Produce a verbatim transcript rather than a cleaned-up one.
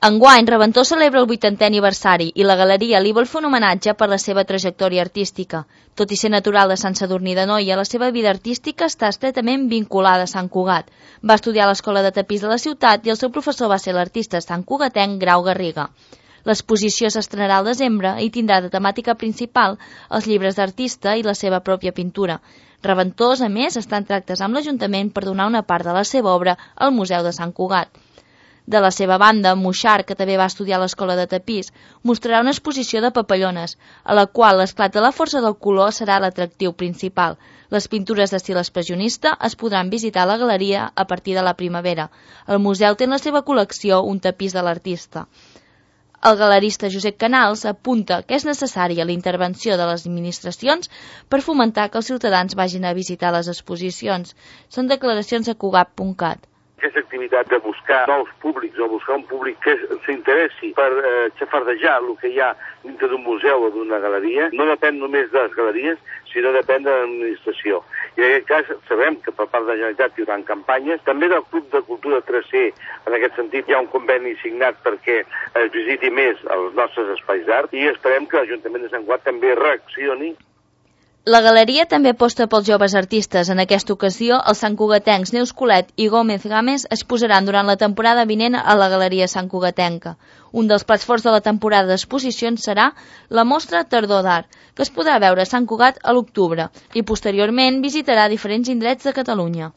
Enguany, Reventós celebra el vuitantè aniversari i la galeria li vol fer un homenatge per la seva trajectòria artística. Tot i ser natural de Sant Sadurní d'Anoia, la seva vida artística està estretament vinculada a Sant Cugat. Va estudiar a l'Escola de Tapís de la ciutat i el seu professor va ser l'artista santcugatenc Grau Garriga. L'exposició s'estrenarà al desembre i tindrà de temàtica principal els llibres d'artista i la seva pròpia pintura. Reventós, a més, està en tractes amb l'Ajuntament per donar una part de la seva obra al Museu de Sant Cugat. De la seva banda, Moixart, que també va estudiar a l'Escola de Tapís, mostrarà una exposició de papallones, a la qual l'esclat de la força del color serà l'atractiu principal. Les pintures d'estil expressionista es podran visitar a la galeria a partir de la primavera. El museu té en la seva col·lecció un tapís de l'artista. El galerista Josep Canals apunta que és necessària la intervenció de les administracions per fomentar que els ciutadans vagin a visitar les exposicions. Són declaracions a cugat punt cat. Aquesta activitat de buscar nous públics o buscar un públic que s'interessi per eh, xafardejar el que hi ha dintre d'un museu o d'una galeria no depèn només de les galeries, sinó depèn de l'administració. I en aquest cas sabem que per part de la Generalitat hi haurà campanyes. També del Club de Cultura tres C, en aquest sentit hi ha un conveni signat perquè es visiti més els nostres espais d'art i esperem que l'Ajuntament de Sant Cugat també reaccioni. La galeria també aposta pels joves artistes. En aquesta ocasió, els santcugatencs Neus Colet i Gómez Gámez es posaran durant la temporada vinent a la Galeria Santcugatenca. Un dels plats forts de la temporada d'exposicions serà la mostra Tardor d'Art, que es podrà veure a Sant Cugat a l'octubre i posteriorment visitarà diferents indrets de Catalunya.